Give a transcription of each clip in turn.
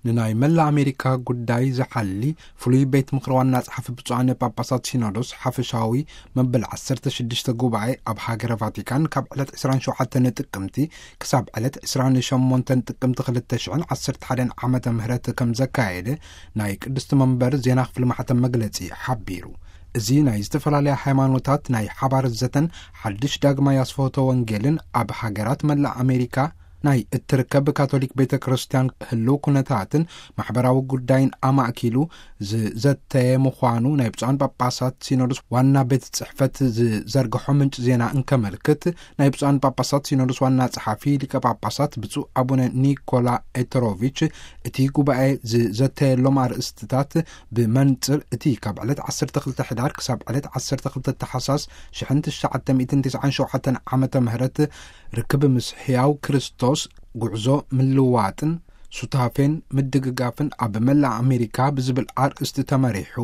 ንናይ መላእ ኣሜሪካ ጉዳይ ዝሓሊ ፍሉይ ቤት ምኽሪ ዋና ጸሓፊ ብፁዓን ጳጳሳት ሲኖዶስ ሓፈሻዊ መበል ዓሰርተ ሽዱሽተ ጉባኤ ኣብ ሃገረ ቫቲካን ካብ ዕለት ዕስራን ሸውዓተን ጥቅምቲ ክሳብ ዕለት ዕስራን ሸሞንተን ጥቅምቲ ክልተ ሽሕን ዓሰርተ ሓደን ዓመተ ምህረት ከም ዘካየደ ናይ ቅድስቲ መንበር ዜና ክፍሊ ማሕተም መግለጺ ሓቢሩ። እዚ ናይ ዝተፈላለያ ሃይማኖታት ናይ ሓባር ዘተን ሓድሽ ዳግማይ ኣስፈሆተ ወንጌልን ኣብ ሃገራት መላእ ኣሜሪካ ናይ እትርከብ ካቶሊክ ቤተ ክርስቲያን ህልው ኩነታትን ማሕበራዊ ጉዳይን ኣማእኪሉ ዝዘተየ ምዃኑ ናይ ብፁዓን ጳጳሳት ሲኖዶስ ዋና ቤት ጽሕፈት ዝዘርግሖ ምንጭ ዜና እንከመልክት፣ ናይ ብፁዓን ጳጳሳት ሲኖዶስ ዋና ጸሓፊ ሊቀ ጳጳሳት ብፁዕ ኣቡነ ኒኮላ ኤተሮቪች እቲ ጉባኤ ዝዘተየሎም ኣርእስትታት ብመንጽር እቲ ካብ ዕለት ዓሰርተ ክልተ ሕዳር ክሳብ ዕለት ዓሰርተ ክልተ ተሓሳስ ሽሕን ትሽዓተ ሚእትን ትስዓን ሸውዓተን ዓመተ ምህረት ርክብ ምስ ሕያው ክርስቶስ፣ ጉዕዞ ምልዋጥን ሱታፌን ምድግጋፍን ኣብ መላእ ኣሜሪካ ብዝብል ኣርእስቲ ተመሪሑ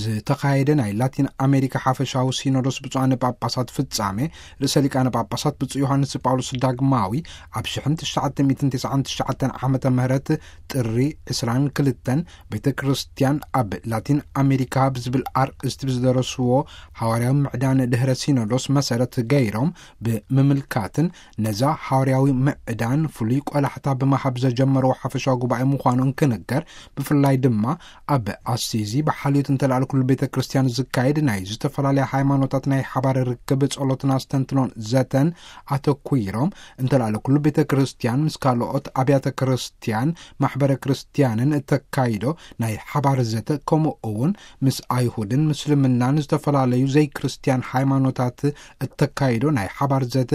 ዝተኻየደ ናይ ላቲን ኣሜሪካ ሓፈሻዊ ሲኖዶስ ብፁዓን ጳጳሳት ፍጻሜ፣ ርእሰ ሊቃነ ጳጳሳት ብፁዕ ዮሃንስ ጳውሎስ ዳግማዊ ኣብ ሽሕን ትሽዓተ ሚእትን ትስዓን ትሽዓተን ዓመተ ምህረት ጥሪ ዕስራን ክልተን ቤተ ክርስቲያን ኣብ ላቲን ኣሜሪካ ብዝብል ኣርእስቲ ብዝደረስዎ ሃዋርያዊ ምዕዳን ድህረ ሲኖዶስ መሰረት ገይሮም ብምምልካትን ነዛ ሃዋርያዊ ምዕዳን ፍሉይ ቆላሕታ ብምሃብ ዘጀመርዎ ሓፈሻዊ ጉባኤ ምዃኑ እንክንገር፣ ብፍላይ ድማ ኣብ ኣሲዚ ብሓልዮት እንተላዕለ ኩሉ ቤተ ክርስቲያን ዝካየድ ናይ ዝተፈላለያ ሃይማኖታት ናይ ሓባር ርክብ ጸሎትን ኣስተንትኖን ዘተን ኣተኲሮም እንተላዕለ ኩሉ ቤተ ክርስቲያን ምስ ካልኦት ኣብያተ ክርስቲያን ማሕበረ ክርስቲያንን እተካይዶ ናይ ሓባር ዘተ ከምኡ እውን ምስ ኣይሁድን ምስልምናን ዝተፈላለዩ ዘይክርስቲያን ሃይማኖታት እተካይዶ ናይ ሓባር ዘተ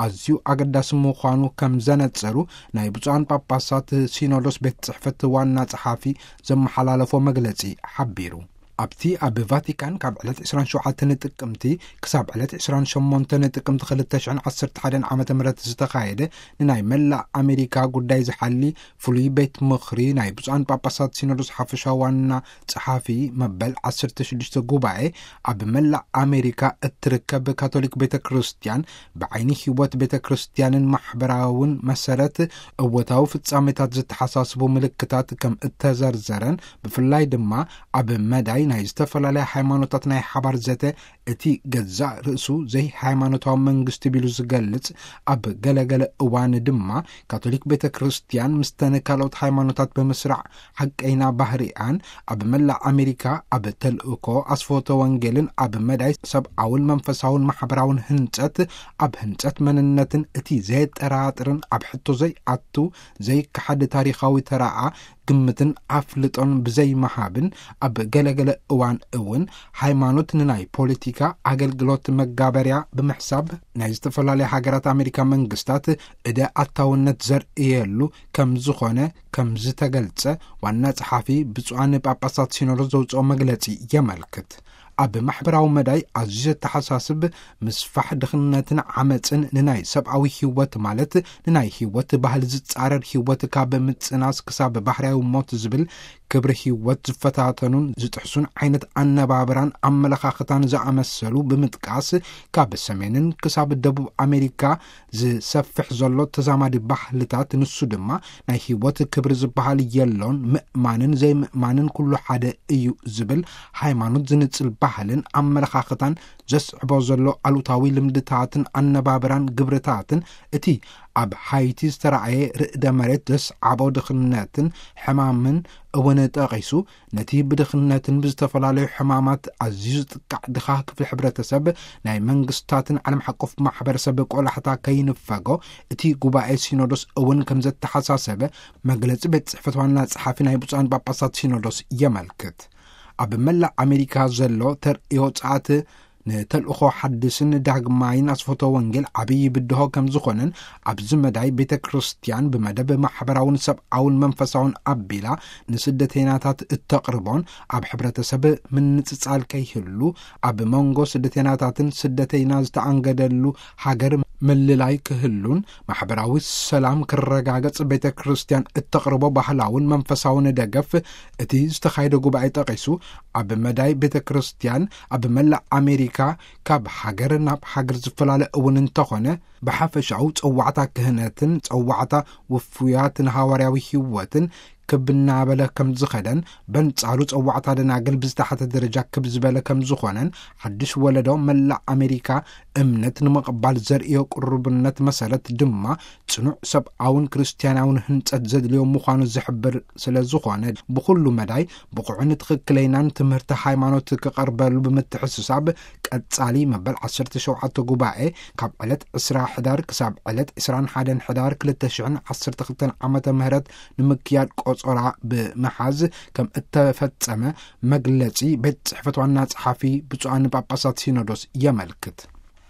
ኣዝዩ ኣገዳሲ ምዃኑ ከም ዘነጸሩ ናይ ብፁዓን ጳጳሳት ሲኖዶስ ቤት ጽሕፈት ዋና ጸሓፊ ዘመሓላለፎ መግለጺ ሓቢሩ። ኣብቲ ኣብ ቫቲካን ካብ ዕለት ዕስራን ሸውዓተን ጥቅምቲ ክሳብ ዕለት ዕስራን ሸሞንተን ጥቅምቲ ክልተ ሽሕን ዓሰርተ ሓደን ዓመተ ምህረት ዝተኻየደ ንናይ መላእ ኣሜሪካ ጉዳይ ዝሓሊ ፍሉይ ቤት ምኽሪ ናይ ብፁዓን ጳጳሳት ሲኖዶስ ሓፈሻዊ ዋና ጸሓፊ መበል ዓሰርተ ሽዱሽተ ጉባኤ ኣብ መላእ ኣሜሪካ እትርከብ ካቶሊክ ቤተ ክርስቲያን ብዓይኒ ህይወት ቤተ ክርስቲያንን ማሕበራውን መሰረት እወታዊ ፍጻሜታት ዝተሓሳስቡ ምልክታት ከም እተዘርዘረን ብፍላይ ድማ ኣብ መዳይ ናይ ዝተፈላለያ ሃይማኖታት ናይ ሓባር ዘተ እቲ ገዛእ ርእሱ ዘይሃይማኖታዊ መንግስቲ ቢሉ ዝገልጽ ኣብ ገለገለ እዋን ድማ ካቶሊክ ቤተ ክርስቲያን ምስተን ካልኦት ሃይማኖታት ብምስራዕ ሓቀይና ባህሪኣን ኣብ መላእ ኣሜሪካ ኣብ ተልእኮ ኣስፈወተ ወንጌልን ኣብ መዳይ ሰብኣውን መንፈሳውን ማሕበራውን ህንጸት ኣብ ህንጸት መንነትን እቲ ዘየጠራጥርን ኣብ ሕቶ ዘይኣቱ ዘይከሓድ ታሪኻዊ ተራኣ ግምትን ኣፍልጦን ብዘይመሃብን ኣብ ገለገለ እዋን እውን ሃይማኖት ንናይ ፖለቲካ ኣገልግሎት መጋበርያ ብምሕሳብ ናይ ዝተፈላለያ ሃገራት ኣሜሪካ መንግስታት እደ ኣታውነት ዘርእየሉ ከም ዝኾነ ከም ዝተገልጸ ዋና ጸሓፊ ብፁዓን ጳጳሳት ሲኖዶስ ዘውፅኦ መግለጺ የመልክት። ኣብ ማሕበራዊ መዳይ ኣዝዩ ዘተሓሳስብ ምስፋሕ ድኽነትን ዓመፅን ንናይ ሰብኣዊ ህይወት ማለት ንናይ ህይወት ባህል ዝጻረር ህይወት ካብ ምጽናስ ክሳብ ባህርያዊ ሞት ዝብል ክብሪ ህይወት ዝፈታተኑን ዝጥሕሱን ዓይነት ኣነባብራን ኣመለኻኽታን ዝኣመሰሉ ብምጥቃስ ካብ ሰሜንን ክሳብ ደቡብ ኣሜሪካ ዝሰፍሕ ዘሎ ተዛማዲ ባህልታት ንሱ ድማ ናይ ህይወት ክብሪ ዝበሃል የሎን ምእማንን ዘይምእማንን ኩሉ ሓደ እዩ ዝብል ሃይማኖት ዝንጽል ባህልን ኣመለኻኽታን ዘስዕቦ ዘሎ ኣሉታዊ ልምድታትን ኣነባብራን ግብርታትን እቲ ኣብ ሃይቲ ዝተራእየ ርእደ መሬት ዘስዓቦ ድኽነትን ሕማምን እውን ጠቒሱ ነቲ ብድኽነትን ብዝተፈላለዩ ሕማማት ኣዝዩ ዝጥቃዕ ድኻ ክፍሊ ሕብረተሰብ ናይ መንግስታትን ዓለም ሓቆፍ ማሕበረሰብ ቆላሕታ ከይንፈጎ እቲ ጉባኤ ሲኖዶስ እውን ከም ዘተሓሳሰበ መግለጺ ቤት ጽሕፈት ዋና ጸሓፊ ናይ ብፁዓን ጳጳሳት ሲኖዶስ የመልክት። ኣብ መላእ ኣሜሪካ ዘሎ ተርእዮ ጸኣት ንተልእኾ ሓድስን ዳግማይን ኣስፈቶ ወንጌል ዓብዪ ብድሆ ከም ዝኾነን ኣብዚ መዳይ ቤተ ክርስቲያን ብመደብ ማሕበራውን ሰብኣውን መንፈሳውን ኣቢላ ንስደተይናታት እተቕርቦን ኣብ ሕብረተሰብ ምንጽጻል ከይህሉ ኣብ መንጎ ስደተይናታትን ስደተይና ዝተኣንገደሉ ሃገር ምልላይ ክህሉን ማሕበራዊ ሰላም ክረጋገጽ ቤተ ክርስቲያን እተቕርቦ ባህላውን መንፈሳውን ደገፍ እቲ ዝተኻየደ ጉባኤ ጠቒሱ ኣብ መዳይ ቤተ ክርስቲያን ኣብ መላእ ኣሜሪካ ካብ ሃገር ናብ ሃገር ዝፈላለ እውን እንተኾነ ብሓፈሻኡ ጸዋዕታ ክህነትን ጸዋዕታ ውፉያትን ሃዋርያዊ ህይወትን ክብ እናበለ ከም ዝኸደን፣ በንጻሩ ጸዋዕታ ደናግል ብዝተሓተ ደረጃ ክብ ዝበለ ከም ዝኾነን፣ ሓድሽ ወለዶ መላእ ኣሜሪካ እምነት ንምቕባል ዘርእዮ ቅሩብነት መሰረት ድማ ጽኑዕ ሰብኣውን ክርስትያናውን ህንጸት ዘድልዮ ምዃኑ ዝሕብር ስለ ዝኾነ፣ ብኹሉ መዳይ ብቑዕን ትኽክለይናን ትምህርቲ ሃይማኖት ክቐርበሉ ብምትሕስሳብ፣ ቀጻሊ መበል ዓሰርተ ሸውዓተ ጉባኤ ካብ ዕለት ዕስራ ሕዳር ክሳብ ዕለት ዕስራን ሓደን ሕዳር ክልተ ሽሕን ዓሰርተ ክልተን ዓመተ ምህረት ንምክያድ ቆጸራ ብምሓዝ ከም እተፈጸመ መግለጺ ቤት ጽሕፈት ዋና ጸሓፊ ብፁዓን ጳጳሳት ሲኖዶስ የመልክት።